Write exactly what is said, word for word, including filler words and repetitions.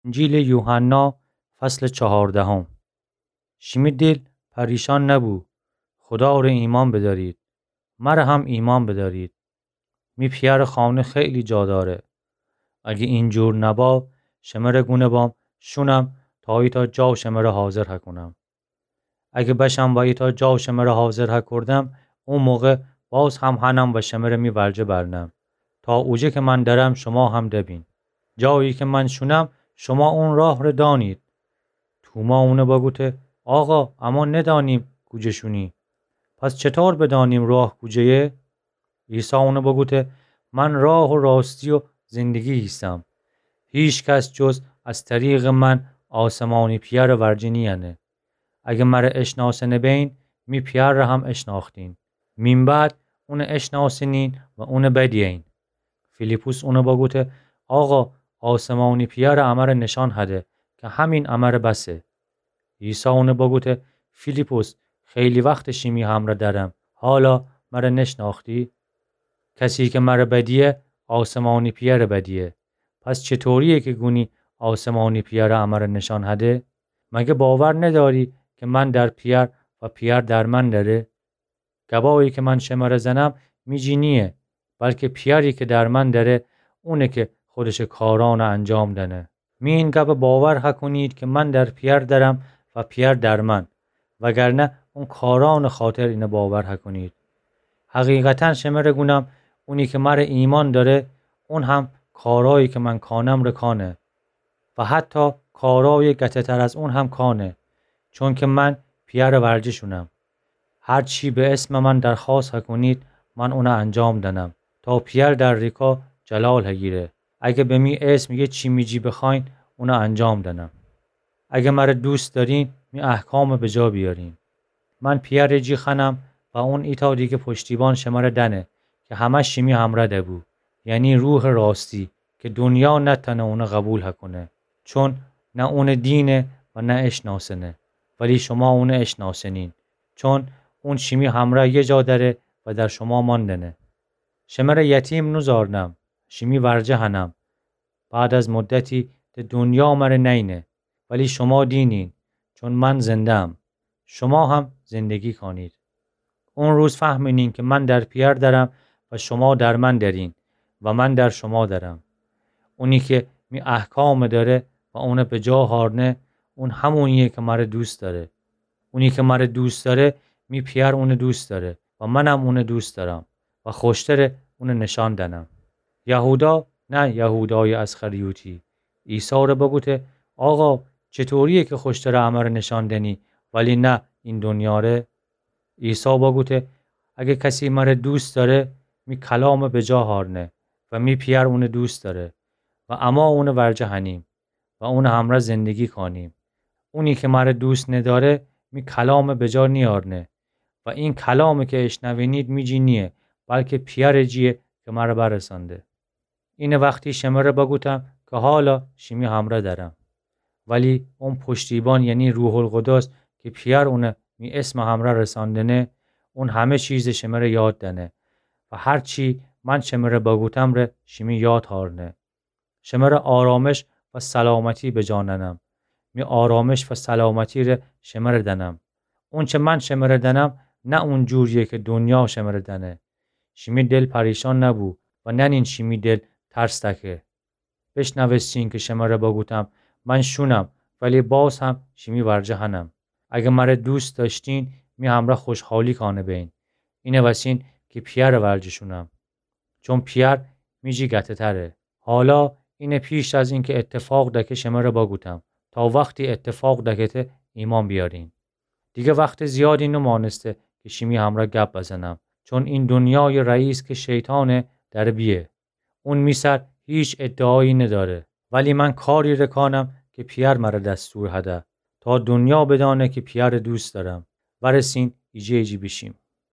انجیلٚ یوحنا، فصلٚ چهاردهم. شیمی دل پریشان نبو. خدا ره ایمأن بدأرید. مره هم ایمأن بدأرید. می پیأرٚ خانه خیلی جا دأره. اگه اینجور نبا، شمره گونه بام شونم تا ایتأ جا شمره حاضر هکونم. اگه بشم و ایتأ جا شمره حاضر هکردم، او موقع باز هم هنم و شمره می ورجه برنم، تا اوجه که من درم شما هم دبین. جایی که من شونم، شما اون راه ره دأنید. توما اونه بگوته: آقا، اما ندأنیم کوجه شونی. پس چطور بدأنیم راه کوجه‌یه؟ عیسی اونه بگوته: من راه و راستی و زندگی ایسم. هیچ کس جز از طریقٚ من آسمانی پیأرٚ ورجه نیأنه. اگه مره اشناسنه بین، می پیأر ره هم اشناختین. مین بعد اونه اشناسنین و اونه بدیین. فیلیپس اونه بگوته: آقا، آسمانی پیأر امره نشان هده که همین امره بسه. عیسی اونه بگوته: فیلیپس، خیلی وخته شیمی همره درم، حالا مره نشناختی؟ کسی که مره بدیه، آسمانی پیأر بدیه. پس چطوریه که گونی آسمانی پیأر امره نشان هده؟ مگه باور نداری که من در پیأر و پیأر در من دره؟ گبایی که من شمره زنم می جی نییه، بلکه پیأری که در من دره، اونه که خودشٚ کارأن انجام دأنه. می این گب باور هکونید که من در پیأر درم و پیأر در من، وگرنه اون کارأنٚ خاطر اینه باور هکونید. حقیقتا شمره گونم، اونی که مره ایمأن دأره، اون هم کارایی که من کانم ره کانه و حتی کارای گته‌تر از اون هم کانه، چونکه من پیأرٚ ورجه شونم. هر چی به اسمٚ من درخوأست هکونید، من اونه انجام دأنم، تا پیأر در ریکا جلال هگیره. اگه به می اسم یه چی می جی بخوأین، اونه انجام دأنم. اگه مره دوست دأرین، می احکامٚ بجا بیأرین. من پیأرٚ جی خوأنم و اون ایتأ دیگه پشتیبان شمره دأنه که همه شیمی همره دبو، یعنی روحٚ راستی، که دونیا نتأنه اونه قوبیل هکونه، چون نه اونه دینه و نه اشناسنه، ولی شما اونه اشناسنین، چون اون شیمی همره یه جا دأره و در شما مأندأنه. شمره یتیم نوزارنم، شیمی ورجه هنم. بعد از مدتی د دونیا مره نأینه، ولی شما دینین، چون من زنده‌ام. شما هم زندگی کانید. اون روز فهمینین که من در پیأر درم و شما در من درین و من در شما درم. اونی که می احکام دأره و اونه بجا هارنه، اون همونیه که مره دوست دأره. اونی که مره دوست دأره، می پیأر اونه دوست دأره و منم اونه دوست دأرم و خوشتره اونه نشان دأنم. یهودا، نه یهودایٚ اسخریوطی، عیسی ره بگوته: آقا، چطوریه که خوشتره امره نشان دأنی، ولی نه این دونیا ره؟ عیسی بگوته: اگه کسی مره دوست دأره، می کلام بجا هارنه و می پیأر اونه دوست دأره و اما اونه ورجه هنیم و اونٚ همره زندگی کانیم. اونی که مره دوست ندأره، می کلام بجا نیارنه و این کلام که اشنوینید می جی نییه، بلکه پیأرٚ جییه که مره برسانده. اینه وختی شمره بگوتم که حالا شیمی همره درم. ولی اون پشتیبان، یعنی روح‌القدس، که پیأر اونه می اسمٚ همره رساندنه، اون همه چیزٚ شمره یاد دأنه و هر چی من شمره بگوتم ره شیمی یاد هارنه. شمره آرامش و سلامتی بجا نأنم. می آرامش و سلامتی ره شمره دأنم. اونچه من شمره دأنم، نه اون جورییه که دونیا شمره دأنه. شیمی دل پریشان نبو و نأنین شیمی دل ترس دکه. بشنوستین که شمره بگوتم: من شونم، ولی باز هم شیمی ورجه هنم. اگه مره دوست دأشتین، می همره خوشحالی کانه بین. اینه وسین که پیأرٚ ورجه شونم. چون پیأر می جی گته‌تره. حالا اینه پیش از اینکه اتفاق دکه شمره بگوتم، تا وختی اتفاق دکته ایمأن بیأرین. دیگه وختٚ زیادی نومأنسته که شیمی همره گپ بزنم، چون این دونیایٚ رئیس که شیطانه دره بیه. اون می سر هیچ ادعایی ندأره، ولی من کاری ره کانم که پیأر مره دستور هده، تا دونیا بدأنه که پیأرٚ دوست دأرم. ورسین ایجه ایجی بیشیم.